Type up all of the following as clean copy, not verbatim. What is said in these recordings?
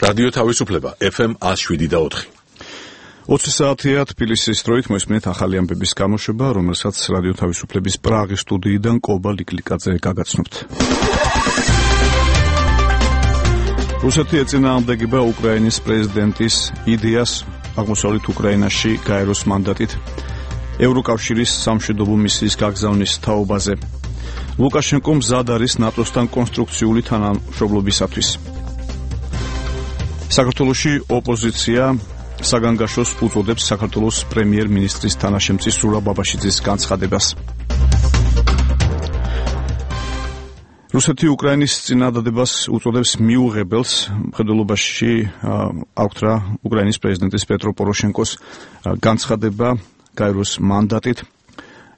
რადიო თავისუფლება FM 107.4. 20 საათია თბილისის დროით მოისმენთ ახალი ამბების გამოშვება, რომელსაც რადიო თავისუფლების პრაღის სტუდიიდან კობა ლიკლიკაძე გაგაცნობთ. რუსეთი ეწინააღმდეგება უკრაინის პრეზიდენტის იდეას აღმოსავლეთ უკრაინაში გაეროს მანდატით ევროკავშირის სამშვიდობო მისიის გაგზავნის თაობაზე. ლუკაშენკო მზად არის ნატოსთან კონსტრუქციული თანამშრომლობისათვის. საქართველოში ოპოზიცია საგანგაშოს უწოდებს საქართველოს პრემიერ-მინისტრის თანაშემწის ზურაბ ბაბაშიძის განცხადებას. რუსეთი უკრაინის წინადადებას უწოდებს მიუღებელს. მხედველობაში აღწერა უკრაინის პრეზიდენტის პეტრო პოროშენკოს განცხადება გაეროს მანდატით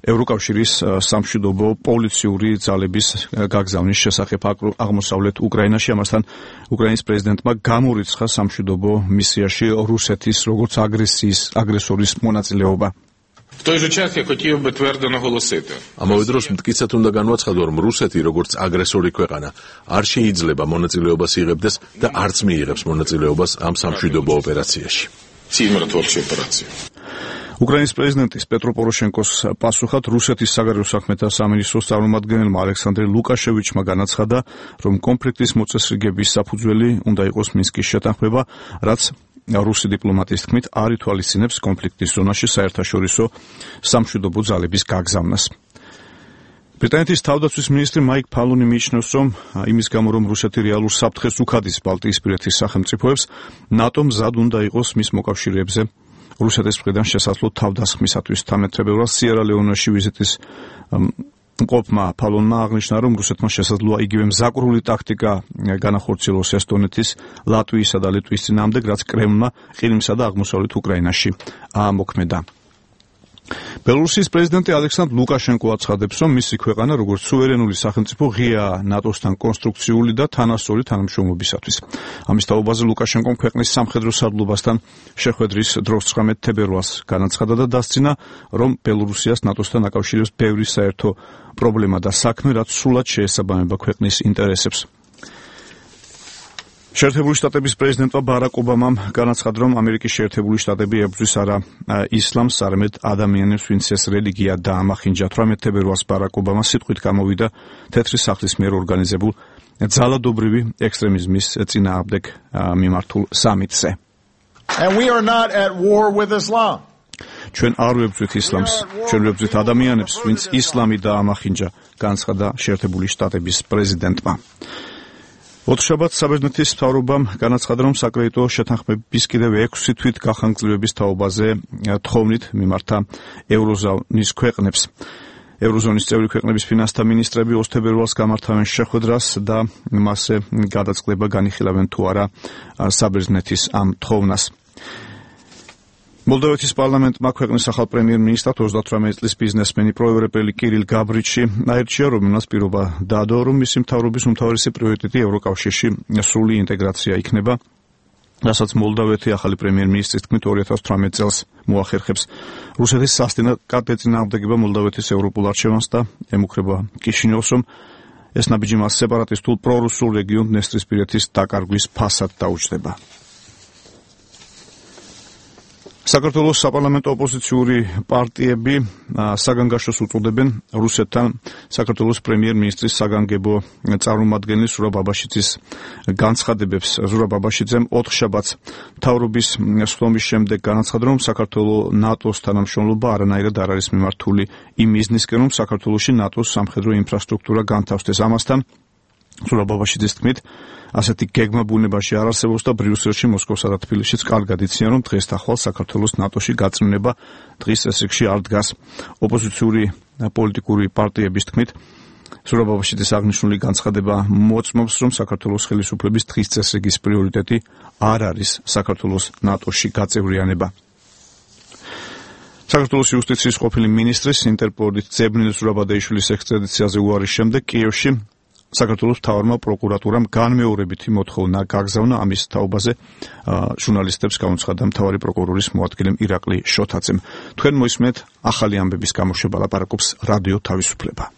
ევროკავშირის სამშვიდობო პოლიციური ძალების გაგზავნის შესახებ აღმოსავლეთ უკრაინაში. ამასთან უკრაინის პრეზიდენტმა გამორიცხა სამშვიდობო მისიაში რუსეთის როგორც აგრესორის მონაწილეობა. В той же час я хотів би твердо наголосити. ამავე დროს მტკიცედ უნდა განვაცხადო, რომ რუსეთი როგორც აგრესორი ქვეყანა არ შეიძლება მონაწილეობას იღებდეს და არც მიიღებს მონაწილეობას ამ სამშვიდობო ოპერაციაში. Цій миротворчій операції. უკრაინის პრეზიდენტის პეტრო პოროშენკოს პასუხად რუსეთის საგარეო საქმეთა სამინისტროს წარმომადგენელმა ალექსანდრე ლუკაშევიჩმა განაცხადა, რომ კონფლიქტის მოწესრიგების საფუძველი უნდა იყოს მინსკის შეთანხმება, რაც რუსი დიპლომატის თქმით არ ითვალისწინებს კონფლიქტის ზონაში საერთაშორისო სამშვიდობო ძალების გაგზავნას. ბრიტანეთის თავდაცვის მინისტრი მაიკ ფალონი მიიჩნევს, რომ იმის გამო, რომ რუსეთი რეალურ საფრთხეს უხადის ბალტიისპირეთის სახელმწიფოებს, ნატო მზად უნდა იყოს მის მოკავშირეებზე რუსეთის მხრიდან შესაძლო თავდასხმისათვის. 13 თებერვალს სიერა-ლეონეში ვიზიტის მყოფმა ფალონმა აღნიშნა, რომ რუსეთმა შესაძლოა იგივე მზაკვრული ტაქტიკა განახორციელოს ესტონეთის, ლატვიისა და ლიტვის წინააღმდეგ, რაც კრემლმა ყირიმსა და აღმოსავლეთ უკრაინაში აამოქმედა. ბელორუსიის პრეზიდენტი ალექსანდრ ლუკაშენკო აცხადებს, რომ მისი ქვეყანა როგორც სუვერენული სახელმწიფო ღიაა ნატოსთან კონსტრუქციული და თანასწორი თანამშრომლობისათვის. ამის თაობაზე ლუკაშენკომ ქვეყნის სამხედრო სარდლობასთან შეხვედრის დროს 19 თებერვალს განაცხადა და დასძინა, რომ ბელორუსიას ნატოსთან აკავშირებს ბევრი საერთო პრობლემა და საქმე, რაც სრულად შეესაბამება ქვეყნის ინტერესებს. შეერთებული შტატების პრეზიდენტმა ბარაკ ობამამ განაცხადა, რომ ამერიკის შეერთებული შტატები ებრძვის არა ისლამს, არამედ ადამიანებს, ვინც ეს რელიგია დაამახინჯა. 18 თებერვალს ბარაკ ობამა სიტყვით გამოვიდა თეთრი სახლის მიერ ორგანიზებულ ძალადობრივი ექსტრემიზმის წინააღმდეგ მიმართულ სამიტზე. ჩვენ არ ვებრძვით ისლამს, ჩვენ ვებრძვით ადამიანებს, ვინც ისლამი დაამახინჯა, განცხადა შეერთებული შტატების პრეზიდენტმა. ოთხშაბათს საბერძნეთის მთავრობამ განაცხადა, რომ საკრედიტო შეთანხმების კიდევ 6 თვით გახანგრძლივების თაობაზე თხოვნით მიმართა ევროზონის ქვეყნებს. ევროზონის წევრი ქვეყნების ფინანსთა მინისტრები 20 თებერვალს გამართავენ შეხვედრას და მასზე გადაწყდება განიხილავენ თუ არა საბერძნეთის ამ თხოვნას. მოლდოვეთის პარლამენტმა ქვეყნის ახალ პრემიერ-მინისტრად 38 წლის ბიზნესმენი პროევროპელი კირილ გაბრიჩი აირჩია, რომელმაც პირობა დაადო, რომ მისი მთავრობის უმთავრესი პრიორიტეტი ევროკავშირში სრული ინტეგრაცია იქნება, რასაც მოლდოვეთი ახალი პრემიერ-მინისტრის თქმით 2018 წელს მოახერხებს. რუსეთის სასტიკად ეწინააღმდეგება მოლდოვეთის ევროპულ არჩევანს და ემუქრება კიშინიოვს, რომ ეს ნაბიჯი მას სეპარატისტულ პრორუსულ რეგიონ დნესტრისპირეთის დაკარგვის ფასად დაუჯდება. საქართველოს საპარლამენტო ოპოზიციური პარტიები საგანგაშოს უწოდებენ რუსეთთან საქართველოს პრემიერ-მინისტრის საგანგებო წარმომადგენლის ზურაბ ბაბაშიძის განცხადებებს. ზურაბ ბაბაშიძემ 4 შაბათს მთავრობის სხდომის შემდეგ განაცხადა, რომ საქართველოს ნატოს თანამშრომლობა არანაირად არ არის მიმართული იმ მიზნისკენ, რომ საქართველოში ნატოს სამხედრო ინფრასტრუქტურა განთავსდეს. ამასთან ზურაბ ბაბაშიძის თქმით, ასეთი გეგმა ბუნებაში არ არსებობს და ბრიუსელში, მოსკოვსა და თბილისშიც კარგად იციან, რომ დღესდახვალ საქართველოს ნატოში გაწმენდება დღის წესრიგში არ დგას. ოპოზიციური პოლიტიკური პარტიების თქმით, ზურაბ ბაბაშიძის აღნიშნული განცხადება მოწმობს, რომ საქართველოს ხელისუფლების დღის წესრიგის პრიორიტეტი არ არის საქართველოს ნატოში გაწევრიანება. საქართველოს იუსტიციის ყოფილი მინისტრის ინტერპოლის ძებნილ ზურაბ ადეიშვილის ექსტრადიციაზე უარის შემდეგ კიევში საქართველოს მთავარმა პროკურატურამ განმეორებითი მოთხოვნა გაგზავნა. ამის თაობაზე ჟურნალისტებს გამოცხადა მთავარი პროკურორის მოადგილე ირაკლი შოთაძემ. თქვენ მოისმენთ ახალი ამბების გამოშვება, ლაპარაკობს რადიო თავისუფლება.